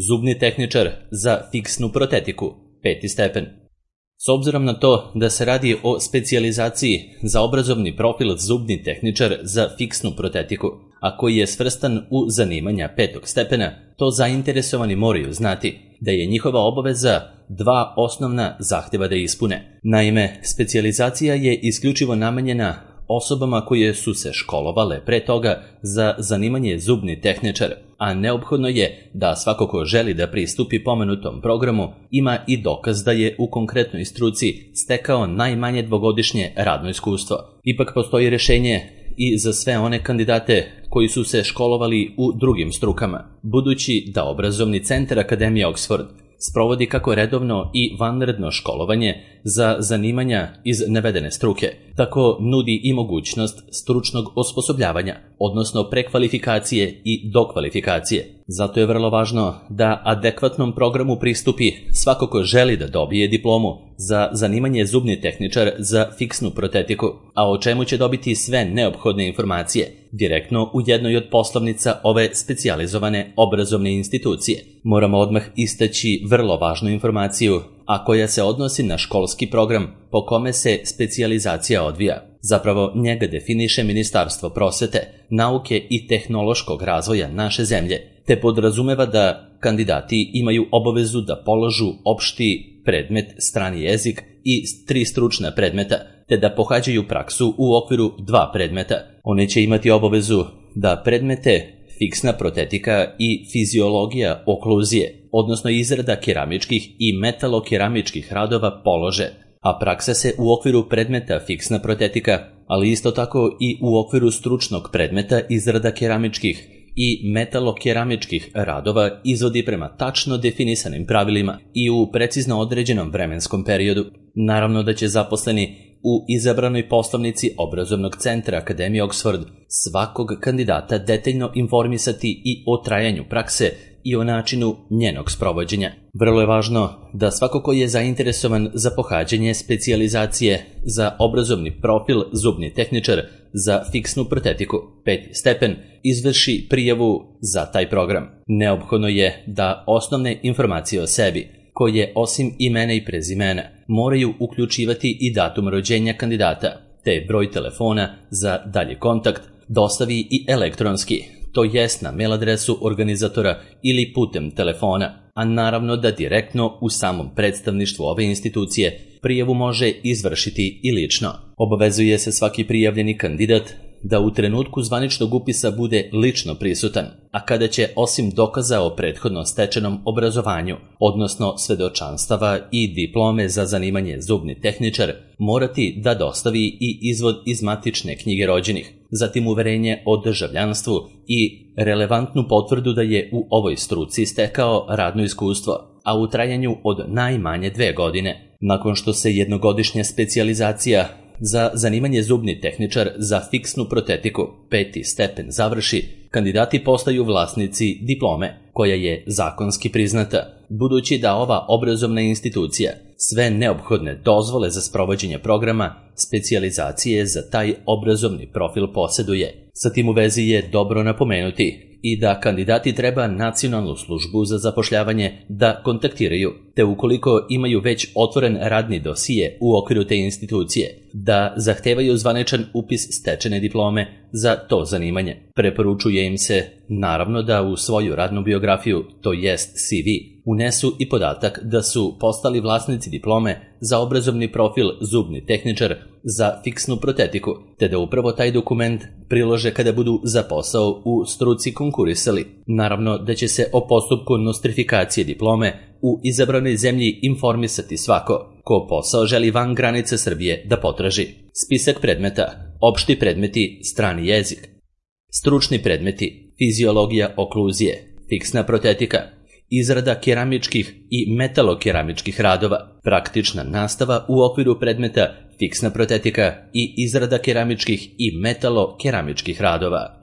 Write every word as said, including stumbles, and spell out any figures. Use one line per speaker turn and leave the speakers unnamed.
Zubni tehničar za fiksnu protetiku, peti stepen. S obzirom na to da se radi o specijalizaciji za obrazovni profil zubni tehničar za fiksnu protetiku, a koji je svrstan u zanimanja petog stepena, to zainteresovani moraju znati da je njihova obaveza dva osnovna zahtjeva da ispune. Naime, specijalizacija je isključivo namenjena osobama koje su se školovale pre toga za zanimanje zubni tehničar, a neophodno je da svako ko želi da pristupi pomenutom programu ima i dokaz da je u konkretnoj struci stekao najmanje dvogodišnje radno iskustvo. Ipak postoji rešenje i za sve one kandidate koji su se školovali u drugim strukama, budući da obrazovni centar Akademije Oxford sprovodi kako redovno i vanredno školovanje za zanimanja iz navedene struke, tako nudi i mogućnost stručnog osposobljavanja, odnosno prekvalifikacije i dokvalifikacije. Zato je vrlo važno da adekvatnom programu pristupi svako ko želi da dobije diplomu za zanimanje zubni tehničar za fiksnu protetiku, a o čemu će dobiti sve neophodne informacije direktno u jednoj od poslovnica ove specijalizovane obrazovne institucije. Moramo odmah istaći vrlo važnu informaciju, a koja se odnosi na školski program po kome se specijalizacija odvija. Zapravo njega definiše Ministarstvo prosvete, nauke i tehnološkog razvoja naše zemlje, te podrazumeva da kandidati imaju obavezu da polažu opšti predmet strani jezik i tri stručna predmeta, te da pohađaju praksu u okviru dva predmeta. One će imati obavezu da predmete fiksna protetika i fiziologija okluzije, odnosno izrada keramičkih i metalokeramičkih radova polože, a praksa se u okviru predmeta fiksna protetika, ali isto tako i u okviru stručnog predmeta izrada keramičkih i metalokeramičkih radova izvodi prema tačno definisanim pravilima i u precizno određenom vremenskom periodu. Naravno da će zaposleni u izabranoj poslovnici obrazovnog centra Akademije Oxford svakog kandidata detaljno informisati i o trajanju prakse i o načinu njenog sprovođenja. Vrlo je važno da svako ko je zainteresovan za pohađanje specijalizacije za obrazovni profil zubni tehničar za fiksnu protetiku, peti stepen, izvrši prijavu za taj program. Neophodno je da osnovne informacije o sebi, koje osim imena i prezimena moraju uključivati i datum rođenja kandidata, te broj telefona za dalji kontakt, dostavi i elektronski, to jest na mail adresu organizatora ili putem telefona, a naravno da direktno u samom predstavništvu ove institucije prijavu može izvršiti i lično. Obavezuje se svaki prijavljeni kandidat da u trenutku zvaničnog upisa bude lično prisutan, a kada će osim dokaza o prethodno stečenom obrazovanju, odnosno svedočanstava i diplome za zanimanje zubni tehničar, morati da dostavi i izvod iz matične knjige rođenih, zatim uverenje o državljanstvu i relevantnu potvrdu da je u ovoj struci stekao radno iskustvo, a u trajanju od najmanje dve godine. Nakon što se jednogodišnja specijalizacija za zanimanje zubni tehničar za fiksnu protetiku, peti stepen, završi, kandidati postaju vlasnici diplome, koja je zakonski priznata, budući da ova obrazovna institucija sve neophodne dozvole za sprovođenje programa specijalizacije za taj obrazovni profil posjeduje. Sa tim u vezi je dobro napomenuti i da kandidati treba Nacionalnu službu za zapošljavanje da kontaktiraju, te ukoliko imaju već otvoren radni dosije u okviru te institucije, da zahtevaju zvaničan upis stečene diplome za to zanimanje. Preporučuje im se, naravno, da u svoju radnu biografiju, to jest C V, unesu i podatak da su postali vlasnici diplome za obrazovni profil zubni tehničar za fiksnu protetiku, te da upravo taj dokument prilože kada budu za posao u struci konkurisali. Naravno da će se o postupku nostrifikacije diplome u izabranoj zemlji informisati svako ko posao želi van granice Srbije da potraži. Spisak predmeta: opšti predmeti, strani jezik; stručni predmeti: fiziologija okluzije, fiksna protetika, izrada keramičkih i metalokeramičkih radova, praktična nastava u okviru predmeta fiksna protetika i izrada keramičkih i metalokeramičkih radova.